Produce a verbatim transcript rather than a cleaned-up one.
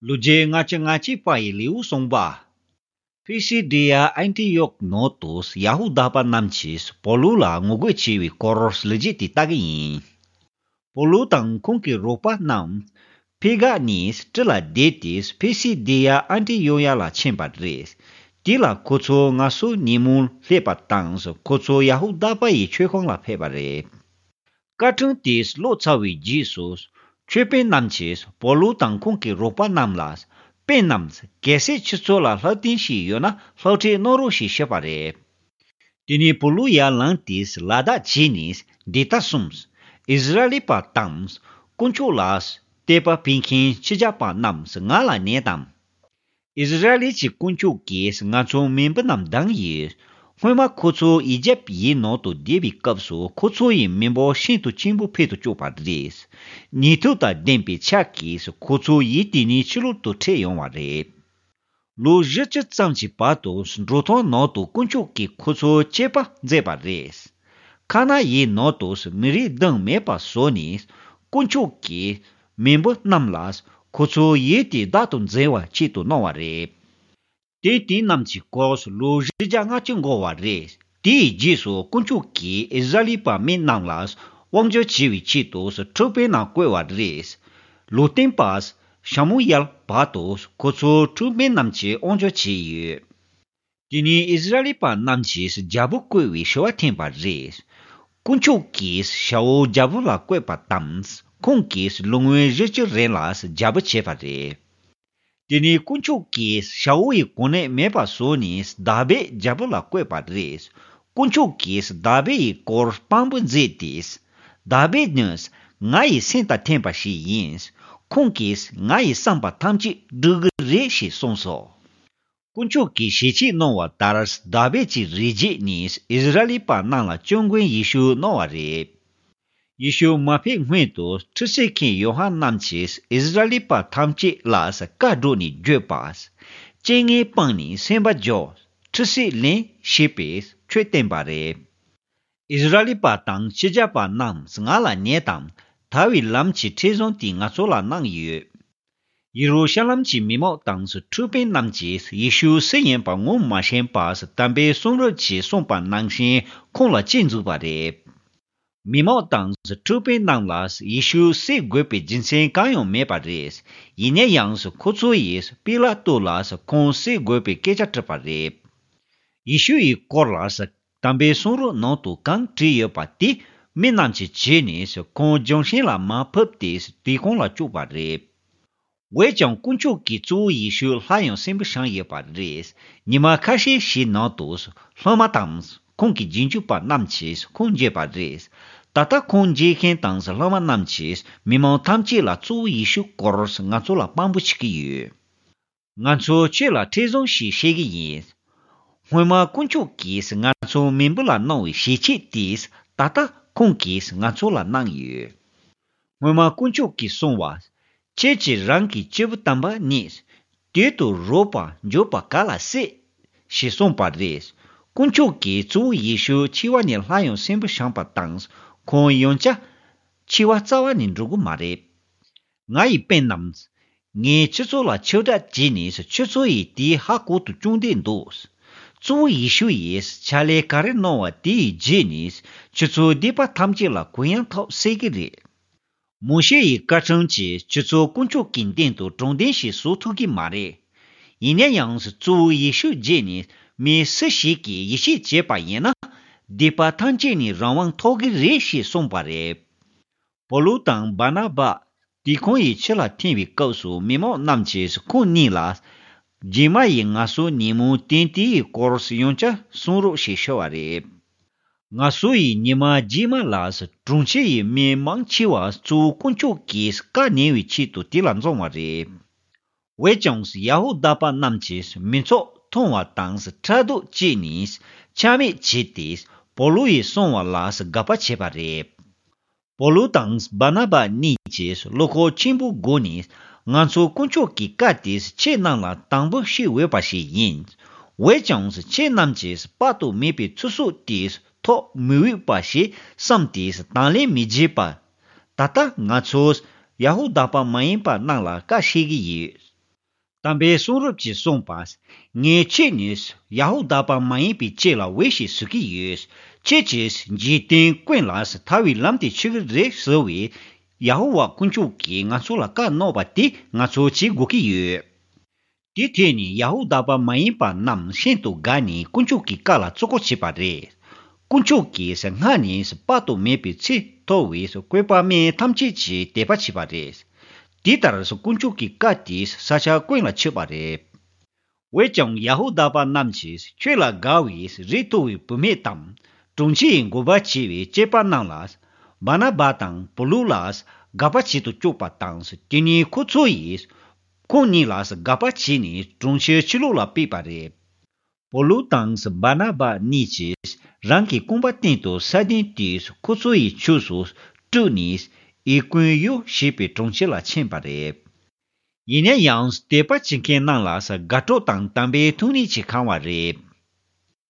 ལོ་རྒྱུས་ལྔ་བཅུ་ང་གཅིག་པ་ཡི་ལེའུ་གསུངས་པ། ཕི་སི་ཌི་ཡ་ཨན་ཏི་ཡོག་ནང་དུ་ཡ་ཧུ་དཱ་པ་རྣམས་ཀྱིས་པོ་ལུ་ལ་ངོ་རྒོལ་བྱས་པའི་སྐོར་ལོ་རྒྱུས་དེ་ལྟ་གི་ཡིན། པོ་ལུ་དང་ཁོང་གི་རོགས་པ་རྣམས་ཕི་ག་ནས་ཊི་ལ་བསྡད་དེ་ཕི་སི་ཌི་ཡ་ཨན་ཏི་ཡོ་ཡ་ལ་ཕྱིན་པ་རེད། དེ་ལ་ཁོ་ཚོ་ང་སོ་ཉིན་མོ་སླེབས་པ་དང་ཁོ་ཚོ་ཡ་ཧུ་དཱ་པ་ཡི་མཆོད་ཁང་ལ་ཕེབས་པ་རེད། བཀའ་ཁྲིམས་དེ་ཀློག་ཚར་བའི་རྗེས་སུ། ཆོས་དཔོན་རྣམས་ཀྱིས་པོ་ལུ་དང་ཁོང་གི་རོགས་པ་རྣམས་ལ། དཔོན་རྣམས། གལ་སྲིད་ཁྱེད་ཚོ་ལ་ལྷ་རྟེན་ཞིག་ཡོད་ན་ལྷ་ཁྲིད་གནང་རོགས་ཞེས་ཞུས་པ་རེད། དེ་ནས་པོ་ལུ་ཡར་ལངས་ཏེ་ལ་དྭགས་བྱས་ནས་འདི་ལྟར་གསུངས། ཨིསི་ར་ཨེལ་པ་དང་། དཀོན་མཆོག་ལ་དད་པ་འབུལ་མཁན་ཕྱི་རྒྱལ་པ་རྣམས་ང་ལ་ཉན་དང་། ཨིསི་ར་ཨེལ་གྱི་དཀོན་མཆོག་གིས་ང་ཚོའི་མེས་པོ་རྣམས་བདམས་ཡོད། སྔོན་མ་ཁོ་ཚོ་ཨི་ཇེབ་ཡི་ནང་དུ་བསྡད་པའི་སྐབས་སུ་ཁོ་ཚོ་ཡི་མི་འབོར་ཤིན་ཏུ་ཆེན་པོ་འཕེལ་དུ་བཅུག་པ་རེད། ནུས་མཐུ་དང་ལྡན་པའི་ཕྱག་གིས་ཁོ་ཚོ་ཡུལ་དེ་ནས་ཕྱི་ལོག་ཏུ་ཁྲིད་ཡོང་བ་རེད། ལོ་བཞི་བཅུ་ཙམ་གྱི་བར་དུ་འབྲོག་ཐང་ནང་དུ་དཀོན་མཆོག་གིས་ཁོ་ཚོ་གཅེས་པར་མཛད་པ་རེད། ཁ་ན་ཡི་ནང་དུ་མི་རིགས་བདུན་མེད་པ་བཟོས་ནས་དཀོན་མཆོག་གིས་མེས་པོ་རྣམས་ལ་ཁོ་ཚོའི་ཡུལ་དེ་བདག་ཏུ་འཛིན་པའི་ཆེད་དུ་གནང་བ་རེད། དེ་དེ་རྣམས་ཀྱི་སྐོར་ལོ་བཞི་བརྒྱ་ལྔ་བཅུ་འགོར་བ་རེད། དེའི་རྗེས་སུ་དཀོན་མཆོག་གིས་ཨིསི་ར་ཨེལ་པ་མི་རྣམས་ལ་དབང་སྒྱུར་བྱེད་པའི་ཆེད་དུ་ཁྲིམས་དཔོན་རྣམས་བསྐོས་པ་རེད། ལུང་སྟོན་པ་ཤ་མུ་ཡལ་བར་དུ་ཁོ་ཚོ་ཁྲིམས་དཔོན་རྣམས་ཀྱིས་དབང་སྒྱུར་བྱས་ཡོད། དེ་ནས་ཨིསི་ར་ཨེལ་པ་རྣམས་ཀྱིས་རྒྱལ་པོ་བསྐོ་བའི་ཞུ་བ་འཐེན་པ་རེད། དཀོན་མཆོག་གིས་ཤ་འུ་རྒྱལ་པོ་ལ་བསྐོས་པ་དང་ཁོང་གིས་ལོ་ངོ་བཞི་བཅུ་རིང་ལ་རྒྱལ་པོ་བྱས་པ་རེད། དེ་ནས་དཀོན་མཆོག་གིས་ཤ་འུ་ཡི་གོ་གནས་མེད་པ་བཟོས་ནས་དཱ་བིད་རྒྱལ་པོ་ལ་བསྐོས་པ་རེད། དཀོན་མཆོག་གིས་དཱ་བིད་ཡི་སྐོར་དཔང་པོ་མཛད་དེ། དཱ་བིད་ནི་ང་ཡི་སེམས་དང་མཐུན་པ་ཞིག་ཡིན། ཁོང་གིས་ང་ཡི་བསམ་པ་ཐམས་ཅད་འགྲུབ་ཀྱི་རེད་ཞེས་གསུངས་སོ། དཀོན་མཆོག་གིས་ཞལ་ཆད་གནང་བ་ལྟར་དཱ་བིད་ཀྱི་རིགས་རྒྱུད་ནས་ཨིསི་ར་ཨེལ་པ་རྣམས་ལ་སྐྱབས་མགོན་ཡེ་ཤུ་གནང་བ་རེད། ཡེ་ཤུ་མ་ཕེབས་སྔོན་དུ་ཁྲུས་གསོལ་མཁན་ཡོ་ཧ་ནན་གྱིས་ཨིསི་ར་ཨེལ་པ་ཐམས་ཅད་ལ་བཀའ་བསྒྲགས་ནས་བརྗོད་པ། རྐྱེན་ངན་སྤངས་ནས་སེམས་པ་སྦྱོང་། ཁྲུས་གསོལ་ལེན་ཞེས་པའི་ཆོས་བསྟན་པ་རེད། ཨིསི་ར་ཨེལ་པ་དང་ཕྱི་རྒྱལ་པ་རྣམས་ང་ལ་ཉན་དང་། ཐར་བའི་ལམ་གྱི་ཁྲིད་གཞུང་དེ་ང་ཚོ་ལ་གནང་ཡོད། ཡེ་རུ་ཤ་ལམ་གྱི་མི་མང་དང་ཁྲིམས་དཔོན་རྣམས་ཀྱིས་ཡེ་ཤུ་སུ་ཡིན་པ་ངོ་མ་ཤེས་པར་དམ་པའི་གསུང་རབ་ཀྱིས་གསུངས་པ་ནང་བཞིན་ཁོང་ལ་དཔྱད་འཛུགས་པ་རེད། མི་མང་དང་ཁྲིམས་དཔོན་རྣམས་ལ་ཡེ་ཤུ་བསད་དགོས་པའི་རྒྱུ་མཚན་གང་ཡང་མེད་པ་རེད། ཡིན་ན་ཡང་ཁོ་ཚོ་ཡིས་པི་ལ་ཏོ་ལ་ཁོང་བསད་དགོས་པའི་སྐད་ཆ་དྲིས་པ་རེད། ཡེ་ཤུ་ཡི་སྐོར་ལ་དམ་པའི་གསུང་རབ་ནང་དུ་གང་བྲིས་ཡོད་པ་དེ་མི་རྣམས་ཀྱིས་བྱས་ནས་ཁོང་ལྗོན་ཤིང་ལ་མར་ཕབ་སྟེ་དུར་ཁུང་ལ་བཅུག་པ་རེད། འོན་ཀྱང་དཀོན་མཆོག་གིས་གཙོ་བོ་ཡེ་ཤུ་སླར་ཡང་གསོན་པོ་བྱུང་ཡོད་པ་རེད། ཉི་མ་ཁ་ཤས་ཤིག་ནང་དུ་སློབ་མ་དང་ཁོང་གི་རྗེས་འཇུག་པ་རྣམས་ཀྱིས་ཁོང་མཇལ་བ་རེད། ད་ལྟ་ཁོང་མཇལ་མཁན་དང་སློབ་མ་རྣམས་ཀྱིས་མི་མང་ཐམས་ཅད་ལ་གཙོ་བོ་ཡེ་ཤུ་སྐོར་ང་ཚོ་ལ་དཔང་པོ་བྱེད་ཀྱི་ཡོད། ང་ཚོས་ཁྱོད་ལ་ཁྲིད་གཞུང་ཞིག་བཤད་ཀྱི་ཡིན། སྔོན་མ་དཀོན་མཆོག་གིས་ང་ཚོའི་མེས་པོ་ལ་གནང་བའི་ཞལ་ཆད་དེ་ད་ལྟ་ཁོང་གིས་ང་ཚོ་ལ་གནང་ཡོད། སྔོན་མ་དཀོན་མཆོག་གིས་གསུངས་པ། ཁྱེད་ཀྱིས་རང་གི་སྐྱེས་བུ་དམ་པ་རྙེད། དུར་དུ་རོ་བར་འགྱུར་བ་ག་ལ་སྲིད། ཞེས་གསུངས་པ་རེད། དཀོན་མཆོག་གིས་གཙོ་བོ་ཡེ་ཤུ་འཆི་བ་ནས་སླར་ཡང་གསོན་པོ་བྱུང་བ་དང་ཁོང་ཡང་བསྐྱར་འཆི་བ་རྩ་བ་ནས་འགྲོ་གི་མ་རེད། ང་ཡི་དཔོན་རྣམས། ངས་ཁྱེད་ཚོ་ལ་ཁྱབ་བསྒྲགས་བྱས་ནས་ཁྱེད་ཚོ་ཡིས་དེའི་ཧ་གོ་དུ་བཅུག་འདོད་འདུག་གཙོ་བོ་ཡེ་ཤུ་ཡིས་ཕྱག་ལས་ག་རེ་གནང་བ་དེའི་རྗེས་ནས་ཁྱེད་ཚོའི་སྡིག་པ་ཐམས་ཅད་ལ་གུ་ཡངས་ཐོབ་སྲིད་ཀྱི་རེད། མོ་ཤེ་ཡི་བཀའ་ཁྲིམས་ཀྱིས་ཁྱེད་ཚོ་དཀོན་མཆོག་གི་མདུན་དུ་དྲང་བདེན་ཞིག་བཟོ་ཐུབ་ཀྱི་མ་རེད། ཡིན་ན་ཡང་གཙོ་བོ་ཡེ་ཤུ་རྗེས་ནས་མི་སུ་ཞིག་གིས་ཡིད་ཆེས་བྱས་པ་ཡིན་ན་སྡིག་པ་ཐམས་ཅད་ནས་རང་དབང་ཐོབ་ཀྱི་རེད་ཞེས་གསུངས་པ་རེད། པོ་ལུ་དང་བར་ན་བ་དུར་ཁུང་ཡི་ཕྱི་ལ་འཐེན་པའི་སྐབས་སུ་མི་མང་རྣམས་ཀྱིས་ཁོང་གཉིས་ལ། རྗེས་མ་ཡི་ངལ་གསོ་ཉིན་མོ་དོན་དེའི་སྐོར་ཡང་བསྐྱར་གསུང་རོགས་ཞེས་ཞུ་བ་རེད། ངལ་གསོ་ཡི་ཉི་མ་རྗེས་མ་ལ་གྲོང་ཁྱེར་ཡི་མི་མང་ཆེ་བ་གཙོ་བོ་དཀོན་མཆོག་གིས་བཀའ་ཉན་པའི་ཆེད་དུ་དེ་ལ་འཛོམས་པ་རེད། འོན་ཀྱང་ཡ་ཧུ་དཱ་པ་རྣམས་ཀྱིས་མི་ཚོགས་མཐོང་བ་དང་ཕྲག་དོག་བྱས་ནས་ཆ་མེད་བྱས་ཏེ་པོ་ལུ་ཡིས་གསུངས་པ་ལ་དགག་པ་བྱས་པ་རེད། པོ་ལུ་དང་བར་ན་བ་གཉིས་ཀྱིས་བློ་ཁོག་ཆེན་པོའི་སྒོ་ནས་ང་ཚོ་དཀོན་མཆོག་གི་བཀའ་དེ་ཁྱེད་རྣམས་ལ་དྲང་པོ་བཤད་འོས་པ་ཞིག་ཡིན། འོན་ཀྱང་ཁྱེད་རྣམས་ཀྱིས་དཔག་ཏུ་མེད་པའི་ཚེ་སྲོག་དེ་ཐོབ་མི་འོས་པ་ཞིག་བསམས་ཏེ་དང་ལེན་མི་བྱེད་པ། ད་ལྟ་ང་ཚོས་ཡ་ཧུ་དཱ་པ་མ་ཡིན་པ་རྣམས་ལ་བཀའ་བཤད་ཀྱི་ཡོད། དམ་པའི་གསུང་རབ་ཀྱིས་གསུངས་པ། ངས་ཁྱེད་ནི་ཡ་ཧུ་དཱ་པ་མ་ཡིན་པའི་ཅིག་ལ་འོས་ཤིག་བཟོ་གི་ཡོད། ཁྱེད་ཀྱིས་འཇིག་རྟེན་ཀུན་ལ་ཐར་བའི་ལམ་དེ་ཆགས་ཀྱི་རེད་ཟེར་བས། ཡ་ཧུ་ཝཱ་དཀོན་མཆོག་གིས་ང་ཚོ་ལ་བཀའ་གནང་བ་དེ་ང་ཚོ་བྱེད་དགོས་ཀྱི་ཡོད། དེ་ཐད་ནས་ཡ་ཧུ་དཱ་པ་མ་ཡིན་པ་རྣམས་ཤིན་ཏུ་དགའ་ནས་དཀོན་མཆོག་གི་བཀའ་ལ་བརྩི་བཀུར་བྱས་པ་རེད། དཀོན་མཆོག་གིས་སྔར་ནས་དཔག་ཏུ་མེད་པའི་ཚེ་མཐོ་བའི་བཀོད་པ་མི་ཐམས་ཅད་ཀྱི་དད་པ་བྱས་པ་རེད། དེ་ལྟར་དཀོན་མཆོག་གི་བཀའ་དེས་ས་ཆ་ཀུན་ལ་ཁྱབ་པ་རེད། འོན་ཀྱང་ཡ་ཧུ་དཱ་པ་རྣམས་ཀྱིས་ཆོས་ལ་དགའ་བའི་རིགས་མཐོ་བའི་བུད་མེད་དམ། གྲོང་ཁྱེར་ཡི་འགོ་པ་བྱས་པའི་སྐྱེས་པ་རྣམས་ལ། བར་ན་བ་དང་པོ་ལུ་ལ་དགག་པ་བྱེད་དུ་བཅུག་པ་དང་། དེ་ནས་ཁོ་ཚོ་ཡིས་ཁོང་གཉིས་ལ་དགག་པ་བྱས་ནས་གྲོང་ཁྱེར་ཕྱི་ལོགས་ལ་ཕུད་པ་རེད། པོ་ལུ་དང་བར་ན་བ་གཉིས་ཀྱིས་རང་གི་རྐང་པ་སྟེང་དུ་ས་གདན་དེས་ཁོ་ཚོ་ཡི་ཕྱོགས་སུ་སྤྲུགས་ནས། ཨི་ཀོན་ཡོ་ཞེས་པའི་གྲོང་ཁྱེར་ལ་ཕྱིན་པ་རེད། ཡིན་ན་ཡང་དད་པ་བྱེད་མཁན་རྣམས་ལ་དགའ་སྤྲོ་དང་དམ་པའི་ཐུགས་ཉིད་ཀྱིས་གང་བ་རེད།